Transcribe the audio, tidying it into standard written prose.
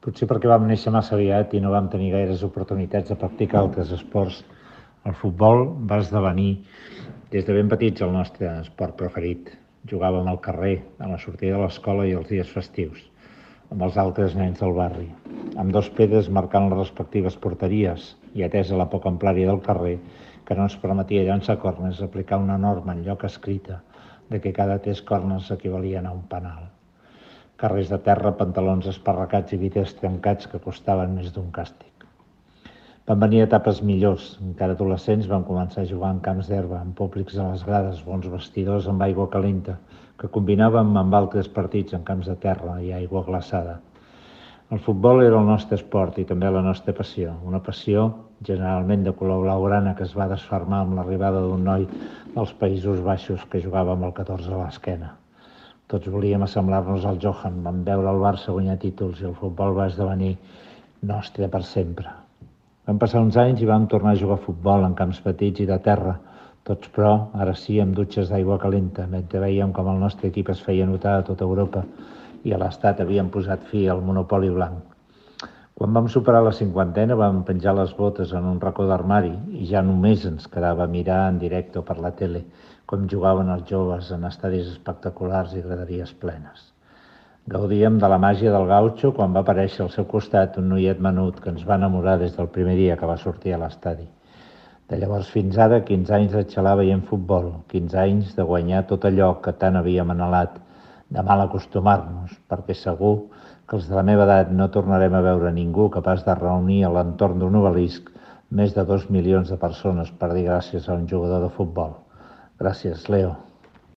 Potser perquè vam néixer massa aviat i no vam tenir gaires oportunitats de practicar altres esports. El futbol va esdevenir des de ben petits el nostre esport preferit. Jugàvem al carrer, a la sortida de l'escola i els dies festius, amb els altres nens del barri, amb dos pedres marcant les respectives porteries i atesa la poca amplària del carrer, que no ens permetia llançar corners, aplicar una norma en lloc escrita de que cada 3 corners equivalien a un penal. Carrers de terra, pantalons esparracats i vidres trencats que costaven més d'un càstig. Van venir etapes millors. Encara adolescents vam començar a jugar en camps d'herba, amb públics a les grades, bons vestidors amb aigua calenta, que combinàvem amb altres partits en camps de terra i aigua glaçada. El futbol era el nostre esport i també la nostra passió, una passió generalment de color blaugrana que es va desfermar amb l'arribada d'un noi dels Països Baixos que jugava amb el 14 a l'esquena. Tots volíem assemblar-nos al Johan, vam veure el Barça guanyar títols i el futbol va esdevenir nostre per sempre. Van passar uns anys i vam tornar a jugar a futbol en camps petits i de terra, tots però, ara sí, amb dutxes d'aigua calenta, mentre veiem com el nostre equip es feia notar a tota Europa i a l'Estat havien posat fi al monopoli blanc. Quan vam superar la 50ena vam penjar les botes en un racó d'armari i ja només ens quedava mirar en directe per la tele com jugaven els joves en estadis espectaculars i graderies plenes. Gaudíem de la màgia del gautxo quan va aparèixer al seu costat un noiet menut que ens va enamorar des del primer dia que va sortir a l'estadi. De llavors fins ara, 15 anys de xalar veient futbol, 15 anys de guanyar tot allò que tant havíem anhelat, de mal acostumar-nos, perquè segur que els de la meva edat no tornarem a veure ningú capaç de reunir a l'entorn d'un obelisc més de 2 milions de persones per dir gràcies a un jugador de futbol. Gràcies, Leo.